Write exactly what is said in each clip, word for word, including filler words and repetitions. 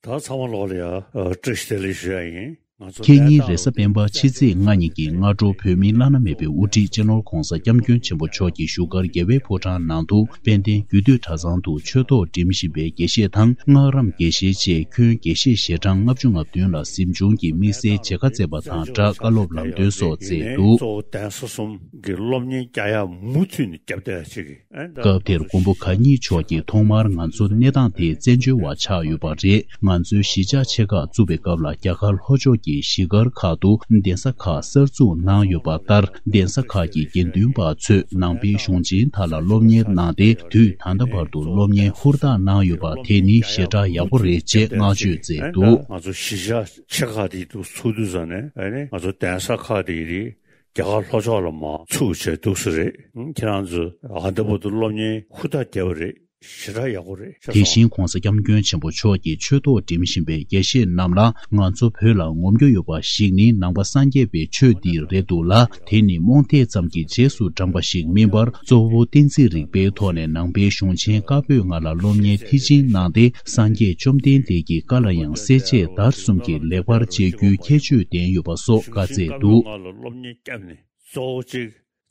ད་ཚང་མ་ལོག་ལ་ཡ་ཨ་བཀྲ་ཤིས་བདེ་ལེགས་ཞུ་ཡ་ཡིན། ང་ཚོ་ཁེ་ཉིན་རེས་གཟའ་སྤེན་པ་ཕྱི་ཚེས་ལྔ་ཉིན་གྱི་སྔ་དྲོ་བོད་མིའི་བླ་ན་མེད་པའི་དབུ་ཁྲིད་སྤྱི་ནོར་༧གོང་ས་༧སྐྱབས་མགོན་ཆེན་པོ་མཆོག་གིས་བཞུགས་སྒར་རྒྱལ་བའི་ཕོ་བྲང་ནང་དུ་དཔལ་ལྡན་རྒྱུད་སྟོད་གྲྭ་ཚང་དུ་ཆོས་ཐོག་འགྲིམ་བཞིན་པའི་དགེ་བཤེས་དང་སྔགས་རམས་དགེ་བཤེས་བཅས་ཁྱོན་དགེ་བཤེས་ཞལ་གྲངས་ལྔ་བཅུ་ང་བདུན་ལ་གཟིམ་ཆུང་གི་དམིགས་བསལ་མཇལ་ཁ་བསྩལ་བ་དང་སྦྲགས་བཀའ་སློབ་ལམ་སྟོན་སོགས་མཛད་འདུག། གཙོ་བོ་གདན་ས་གསུམ་གྱི་སློབ་གཉེར་རྒྱག་ཡ་མུ་མཐུད་ནས་རྒྱབ་བསྡད་ཡ་ཅིག་གི་ཨེ་ད་སྐབས་དེར་མགོན་པོ་གང་ཉིད་མཆོག་གིས་ཐོག་མར་ང་ཚོ་གནས་སྟངས་དེ་བཙན་བྱོལ་བ་ཆགས་ཡོད་པ་རེད། ང་ཚོའི་གཞིས་ཆགས་ཆེ་ཁག་བཙུགས་པའི་སྐབས་ལ་རྒྱ་གར་ལྷོ་ཕྱོགས་ཀྱི་གཞིས་སྒར་ཁག་ཏུ་གདན་ས་ཁག་གསར་འཛུགས་གནང་ཡོད་པ་ལྟར་གདན་ས་ཁག་གི་དགེ་འདུན་པ་ཚོས་ནང་པའི་གཞུང་ཆེན་དག་ལ་སློབ་གཉེར་གནང་སྟེ་དུས་ད་ལྟ་བར་དུ་སློབ་གཉེར་ཧུར་ཐག་གནང་ཡོད་པ་དེ་ནི་ཞེ་དྲག་ཡག་པོ་རེད་ཅེས་བསྔགས་བརྗོད་མཛད་འདུག། ང་ཚོ་གཞིས་ཆགས་ཆེ་ཁག་དེ་དུ་ཚུགས་དུས་ཙང་ནས་ཨ་ནི་ང་ཚོ་གདན་ས་ཁག་དེ་རེད། རྒྱ་གར་ལྷོ་ཕྱོགས་ལ་མར་ཚུར་བྱས་འདུག་སེ་རེད། ཁྱེད་རང་ཚོས་ཨ་ད་བར་དུ་སློབ་གཉེར་ཧུར་ཐག་བརྒྱབ་པ་རེད། ཞེ་དྲག་ཡག་པོ་རེད། དེ་བཞིན་༧གོང་ས་༧སྐྱབས་མགོན་ཆེན་པོ་མཆོག་གིས་ཆོས་ཐོག་འགྲིམ་བཞིན་པའི་དགེ་བཤེས་རྣམས་ལ་ང་ཚོ་བོད་ལ་ངོམ་རྒྱུ་ཡོད་པ་ཞིག་ནི་ནང་པ་སངས་རྒྱས་པའི་ཆོས་འདི་རེད་འདུག་ལ། དེ་ནི་རྨོངས་དད་ཙམ་གྱི་རྗེས་སུ་འབྲངས་པ་ཞིག་མིན་པར་གཙོ་བོ་བསྟན་འཛིན་རིག་པའི་ཐོག་ནས་ནང་པའི་གཞུང་ཆེན་བཀའ་པོད་ལྔ་ལ་སློབ་གཉེར་མཐིལ་ཕྱིན་གནང་སྟེ་སངས་རྒྱས་བཅོམ་ལྡན་འདས་ཀྱི་བཀའ་ལ་ཡང་གསལ་བྱེད་དར་གསུམ་གྱི་ལེགས་པར་དཔྱད་རྒྱུའི་ཁྱད་ཆོས་ལྡན་ཡོད་པ་སོགས་བཀའ་སྩལ་འདུག། ང་ལ་སློབ་གཉེར་བརྒྱབ་ནས་གཙོ་བོ་གཅིག་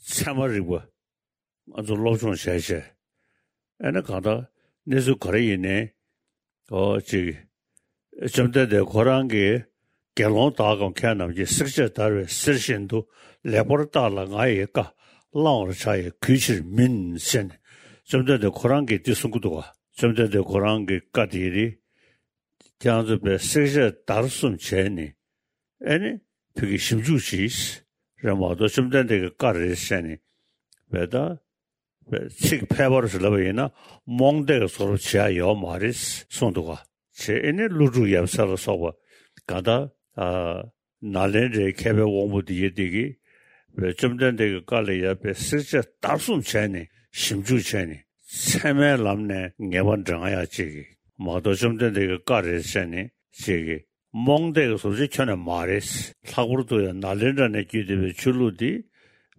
ཚད་མ་རིག་པ། ང་ཚོ་སློབ་སྦྱོང་བྱས་བྱས། ཨ་ནི་གང་ལྟར་གནས་ཚུལ་ག་རེ་ཡིན་ནའི། ཨོ་ཅིག་བཅོམ་ལྡན་འདས་ཁོ་རང་གིས་དགེ་སློང་དག་གམ་མཁས་རྣམས་ཀྱིས་བསྲེགས་བཅད་བརྡར་བའི་གསེར་བཞིན་དུ་ལེགས་པར་བརྟགས་ལ་ང་ཡི་བཀའ་བླང་བར་བྱ་ཡི་གུས་ཕྱིར་མིན་ཟེར་ནས་བཅོམ་ལྡན་འདས་ཁོ་རང་གིས་འདི་གསུང་གི་འདུག་ག། བཅོམ་ལྡན་འདས་ཁོ་རང་གི་བཀའ་དེ་རེད། ཁྱེད་རང་ཚོས་པའི་བསྲེགས་བཅད་བརྡར་གསུམ་བྱས་ནས། ཨེ་ནི། བོད་ཀྱི་ཞིབ་འཇུག་གྱིས། རེད་མ་གཏོགས་བཅོམ་ལྡན་འདས་ཀྱི་བཀའ་རེད་ཟེར་ནས། བས་ད། བས་ཚིག་ཕལ་པར་ཞིག་ལབ་པ་ཡིན་ན་རྨོངས་དད་ཀྱི་བཟོ་འདྲ་བྱེད་ཡ་ཡོད་མ་རེད་གསུངས་འདུག་ག། བྱས་ཨེ་ནི་ཀླུ་སྒྲུབ་ཡབ་སྲས་ལ་སོགས་པ་ག་ད། ཨ། ནཱ་ལེནྡྲའི་མཁས་པའི་དབང་པོ་འདི་ཡི་འདི་གིས། བས་བཅོམ་ལྡན་འདས་ཀྱི་བཀའ་ལ་ཡ་བས་བསྲེགས་བཅད་བརྡར་གསུམ་བྱས་ནས་ཞིབ་འཇུག་བྱས་ནས་ཚད་མའི་ལམ་ནས་ངེས་པ་འདྲེན་ཡ་ཅིག་གིས་མ་གཏོགས་བཅོམ་ལྡན་འདས་ཀྱི་བཀའ་རེད་ཟེར་ནས་ཅིག་གིས། རྨོངས་དད་ཀྱི་བཟོ་བྱེད་ཁྱོན་ནས་མ་རེད། ལྷག་པར་དུ་ཡང་ནཱ་ལེནྡྲ་ནས་བརྒྱུད་བསྡད་པའི་ཆོས་ལུགས་འདི།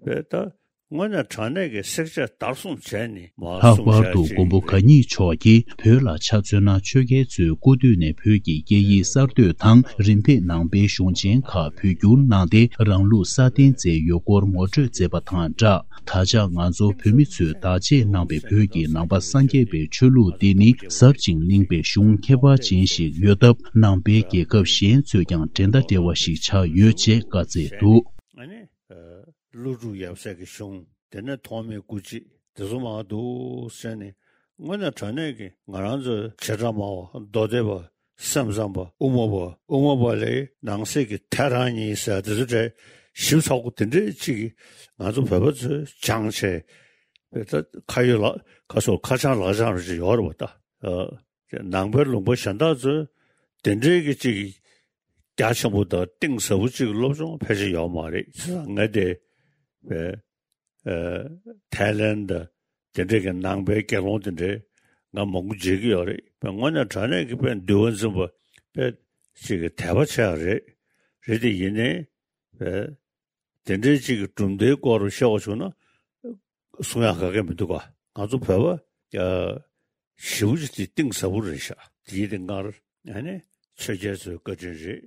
བས་ད། དངོས་གནས་དྲང་གནས་ཀྱི་བསྲེགས་བཅད་བརྡར་གསུམ་བྱས་ནས་མར་ལྷག་པར་དུ་མགོན་པོ་གང་ཉིད་མཆོག་གིས་བོད་ལ་ཆ་མཚོན་ན་ཆོས་རྒྱལ་ཚོའི་སྐུ་དུས་ནས་བོད་ཀྱི་སྐད་ཡིག་གསར་གཏོད་དང་རིམ་ཕེབས་ནང་པའི་གཞུང་ཆེན་ཁག་བོད་བསྒྱུར་གནང་སྟེ་རང་ལུགས་སྲ་བརྟན་མཛད་ཡོད་སྐོར་ངོ་སྤྲོད་མཛད་པ་དང་སྦྲགས། ད་ཆ་ང་ཚོ་བོད་མི་ཚོས་བདག་གཅེས་གནང་པའི་བོད་ཀྱི་ནང་པ་སངས་རྒྱས་པའི་ཆོས་ལུགས་འདི་ནི་ཟབ་ཅིང་བརླིང་པའི་གཞུང་ཁྱད་པར་ཅན་ཞིག་ཡོད་སྟབས། ནང་པའི་རྒྱལ་ཁབ་གཞན་ཚོས་ཀྱང་འགྲན་ཟླ་བྲལ་བ་ཞིག་ཆགས་ཡོད་ཅེས་བཀའ་སྩལ་འདུག། ཨ་ནི། ཀླུ་སྒྲུབ་ཡབ་སྲས་ཀྱི་གཞུང་། དེ་ནས་ཐོགས་མེད་སྐུ་མཆེད་དེ་ཚོ་མང་འདུག་ཟེར་ནས། དངོས་གནས་དྲང་གནས་ཀྱི་ང་རང་ཚོའི་བྱེ་བྲག་སྨྲ་བ་མདོ་སྡེ་པ། སེམས་ཙམ་པ། དབུ་མ་པ། དབུ་མ་པ་ལས་ནང་གསེས་ཀྱི་ཐལ་རང་གཉིས་ཟེར་དེ་ཚོ་འདྲ་ཞིབ་ཚགས་པོ་དེ་འདྲས་ཅིག་གིས་ང་ཚོ་བོད་པ་ཚོས་སྦྱངས་བྱས། བས་ད་ཁ་ཡོད་ལག་ཁ་སོགས་ཁ་བྱང་ལག་བྱང་རེ་ཅིག་ཡོད་རེད་པ་ད། ཨ། ནང་པའི་ལུང་པ་གཞན་དག་ཚོས་དེ་འདྲས་ཀྱི་ཅིག་རྒྱ་ཆེན་པོ་དང་གཏིང་ཟབ་པོ་ཅིག་སློབ་སྦྱོང་ཕལ་ཆེར་ཡོད་མ་རེད། བྱས་ཙང་ངས་དེ་བས། ཨ། ཐའི་ལེན་དང་དེ་འདྲས་ཀྱི་ནང་པའི་དགེ་སློང་དེ་འདྲས་ང་མང་པོ་མཇལ་གྱི་ཡོད་རེད། དཔེ་དངོས་གནས་དྲང་གནས་ཀྱི་དཔེ་འདུལ་བ་འཛིན་པ་དཔེ་ཅིག་གི་དད་པ་ཆེ་བ་རེད། རེད་དེ་ཡིན་ནའི་དཔེ་དེ་འདྲས་ཅིག་གི་གྲུབ་མཐའི་སྐོར་བཤད་པ་བྱུང་ན་གསུང་ཡག་ག་གེ་མི་འདུག་ག། ང་ཚོ་བོད་པ་ཞེ་པོ་ཅིག་དེ་གཏིང་ཟབ་པོ་རེད་ཤག། དེ་ཡིན་དེ་སྔར་ཨ་ནི་ཆོས་རྒྱལ་ཚོའི་བཀའ་དྲིན་རེད།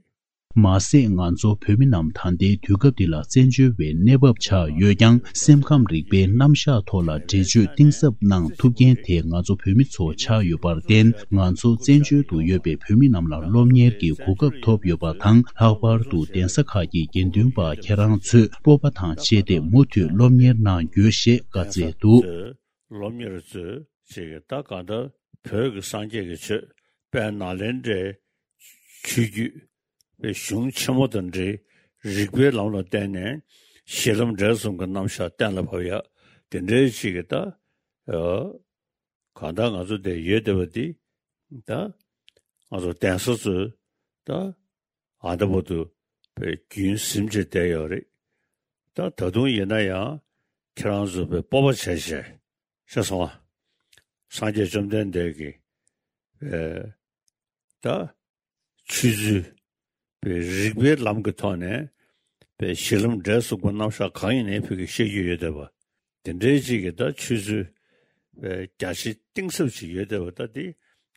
མ་ཟད་ང་ཚོ་བོད་མི་རྣམས་ད་ལྟའི་དུས་སྐབས་འདི་ལ་བཙན་བྱོལ་བའི་གནས་བབ་ཆགས་ཡོད་ཀྱང་། སེམས་ཁམས་རིག་པའི་རྣམ་གཞག་ཐོག་ལ་འགྲེལ་བརྗོད་གཏིང་ཟབ་གནང་ཐུབ་མཁན་དེ་ང་ཚོ་བོད་མི་ཚོ་ཆགས་ཡོད་པར་བརྟེན། ང་ཚོ་བཙན་བྱོལ་དུ་ཡོད་པའི་བོད་མི་རྣམས་ལ་སློབ་གཉེར་གྱི་གོ་སྐབས་ཐོབ་ཡོད་པ་དང་། ལྷག་པར་དུ་གདན་ས་ཁག་གི་དགེ་འདུན་པ་ཁྱེད་རང་ཚོས་སྤོབས་པ་དང་བཅས་ཏེ་མུ་མཐུད་སློབ་གཉེར་གནང་རྒྱུ་ཞེས་བཀའ་སྩལ་འདུག། སློབ་གཉེར་ཚོས་ཅིག་གིས་ད་གང་ལྟར་བོད་ཀྱི་སངས་རྒྱས་ཀྱི་ཆོས་དཔལ་ནཱ་ལེནྡྲའི་ཆོས་བརྒྱུད་པའི་གཞུང་ཆེན་མོ་དང་འབྲེལ། རིགས་པའི་ལམ་ལ་བརྟེན་ནས་གཞི་ལམ་འབྲས་གསུམ་གྱི་རྣམ་གཞག་གཏན་ལ་ཕབ་ཡ་དེ་འདྲའི་ཅིག་གིས་ད། ཨ། གང་ལྟར་ང་ཚོ་འདིར་ཡོད་བསྡད་པ་འདི་ད་ང་ཚོ་གདན་ས་ཚོས་ད་ཨ་ད་བར་དུ་དཔེ་རྒྱུན་ཟིན་བྱས་བསྡད་ཡོད་རེད། ད་ད་དུང་ཡིན་ན་ཡང་ཁྱེད་རང་ཚོ་དཔེ་སྤོབས་པ་བྱས་བྱས། ཤེས་སོང་ང་། སངས་རྒྱས་བཅོམ་ལྡན་འདས་ཀྱི་ཨེ་ད་ཆོས་ཚུལ་དཔེ་རིགས་པའི་ལམ་གྱི་ཐོག་ནས་དཔེ་གཞི་ལམ་འབྲས་གསུམ་གྱི་རྣམ་གཞག་གང་ཡིན་ནའི་བོད་ཀྱི་བཤད་རྒྱུ་ཡོད་བསྡད་པ། དེ་འདྲའི་ཅིག་གི་ད་ཆོས་ཚུལ་དཔེ་རྒྱ་ཆེ་གཏིང་ཟབ་ཅིག་ཡོད་བསྡད་པ། ད་འདི་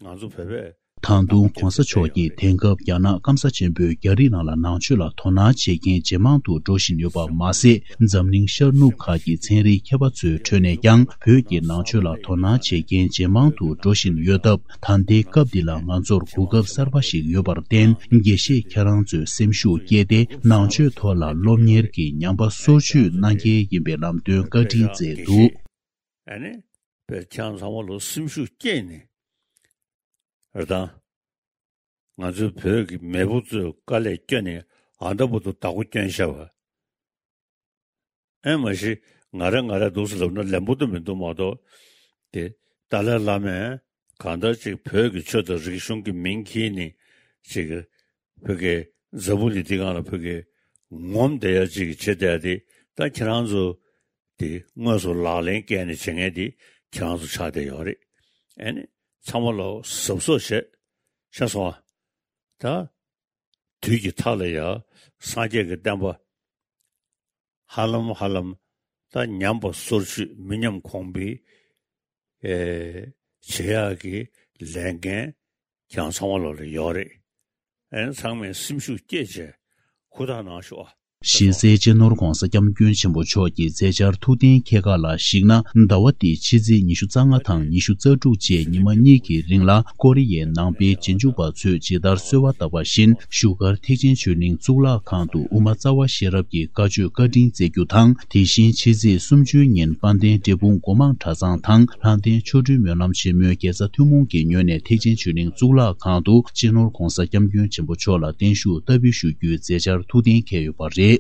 ང་ཚོ་བོད་པས་ ད་དུང་གོང་ས་མཆོག་གིས་དེང་སྐབས་རྒྱ་ནག་སྐམ་ས་ཆེན་པོས་རྒྱ་རིགས་རྣམས་ལ་ནང་ཆོས་ལ་དོ་སྣང་བྱེད་མཁན་ཇེ་མང་དུ་འགྲོ་བཞིན་ཡོད་པ་མ་ཟད། འཛམ་གླིང་ཤར་ནུབ་ཁག་གི་ཚན་རིག་མཁས་པ་ཚོའི་ཁྲོད་ནས་ཀྱང་བོད་ཀྱི་ནང་ཆོས་ལ་དོ་སྣང་བྱེད་མཁན་ཇེ་མང་དུ་འགྲོ་བཞིན་ཡོད་སྟབས། ད་ལྟའི་སྐབས་འདི་ལ་ང་ཚོར་གོ་སྐབས་གསར་པ་ཞིག་ཡོད་པར་བརྟེན། དགེ་བཤེས་ཁྱེད་རང་ཚོས་སེམས་ཤུགས་བསྐྱེད་དེ། ནང་ཆོས་ཐོག་ལ་སློབ་གཉེར་གྱི་ཉམས་པ་སོར་ཆུད་གནང་གལ་ཡིན་པའི་ལམ་སྟོན་བཀའ་དྲིན་བསྩལ་འདུག། ཨ་ནི། བོད་ཁྱེད་རང་ཚང་མ་ལོ་སེམས་ཤུགས་བསྐྱེད་ནས། རེད་དང་། ང་ཚོའི་བོད་ཀྱི་མེས་པོ་ཚོས་དཀའ་ལས་བསྐྱོན་ནས་ཨ་འདྲ་པོ་དུ་བདག་པོ་བསྐྱོན་བཞག་པ། ཨེ་མ་གཞི་ང་རེ་ང་རེ་འདུག་སེ་ལབ་ན་ལན་པོ་དུ་མི་འདུག་མ་གཏོགས། དེ་ཏཱ་ལའི་བླ་མས་གང་ལྟར་ཅིག་བོད་ཀྱི་ཆོས་དང་རིག་གཞུང་གི་མིང་འཁྱེར་ནས་ཅིག་བོད་ཀྱི་འཛམ་བུ་གླིང་འདི་སྒང་ལ་བོད་ཀྱི་ངོམ་བསྡད་ཡ་ཅིག་བྱེད་བསྡད་ཡ་དེ་ད་ཁྱེད་རང་ཚོ། དེ་དངོས་སུ་ལག་ལེན་བཀལ་ནས་བྱེད་མཁན་དེ་ཁྱེད་རང་ཚོ་ཆགས་བསྡད་ཡོད་རེད། ཨ་ནི་ཚང་མ་ལ་གཟབ་གཟབ་བྱེད། ཤེས་སོང་ཨ། ད་དུས་ཀྱི་མཐའ་ལ་ཡ་སངས་རྒྱས་ཀྱི་བསྟན་པ་ཧ་ལམ་ཧ་ལམ་ད་ཉམས་པ་སོར་ཆུད་མི་ཉམས་གོང་འཕེལ་ཨེ་བྱེད་ཡག་གི་ལས་འགན་ཁྱེད་རང་ཚང་མ་ལོག་ལ་ཡོད་རེད། ཨན་ཚང་མས་སེམས་ཤུགས་བསྐྱེད་བྱས་ཧུར་ཐག་གནང་ཤོག་ཨ། གཞི་རྩའི་སྤྱི་ནོར་༧གོང་ས་༧སྐྱབས་མགོན་ཆེན་པོ་མཆོག་གི་མཛད་འཆར་ཐུགས་གཏན་འཁེལ་ཁག་ལ་གཞིགས་ན། ཟླ་བ་འདིའི་ཕྱི་ཚེས་ཉི་ཤུ་རྩ་ལྔ་དང་ཉི་ཤུ་རྩ་དྲུག་བཅས་ཉི་མ་གཉིས་ཀྱི་རིང་ལ་ཀོ་རི་ཡའི་ནང་པའི་རྗེས་འཇུག་པ་ཚོས་ཇི་ལྟར་གསོལ་བ་བཏབ་པ་བཞིན་བཞུགས་སྒར་ཐེག་ཆེན་ཆོས་གླིང་གཙུག་ལག་ཁང་དུ་དབུ་མ་རྩ་བ་ཤེས་རབ་ཀྱི་བཀའ་ཆོས་བཀའ་དྲིན་སྩལ་རྒྱུ་དང་། དེ་བཞིན་ཕྱི་ཚེས་སུམ་ཅུའི་ཉིན་དཔལ་ལྡན་འབྲས་སྤུངས་སྒོ་མང་གྲྭ་ཚང་དང་ལྷ་ལྡན་ཆོ་འཕྲུལ་སྨོན་ལམ་ཆེན་མོའི་དགེ་རྩ་ཐུན་མོང་གི་ངོས་ནས་ཐེག་ཆེན་ཆོས་གླིང་གཙུག་ལག་ཁང་དུ་སྤྱི་ནོར་༧གོང་ས་༧སྐྱབས་མགོན་ཆེན་པོ་མཆོག་ལ་བརྟན་བཞུགས་བསྟར་འབུལ་ཞུ་རྒྱུའི་མཛད་འཆར་ཐུགས་གཏན་འཁེལ་ཡོད་པ་རེད།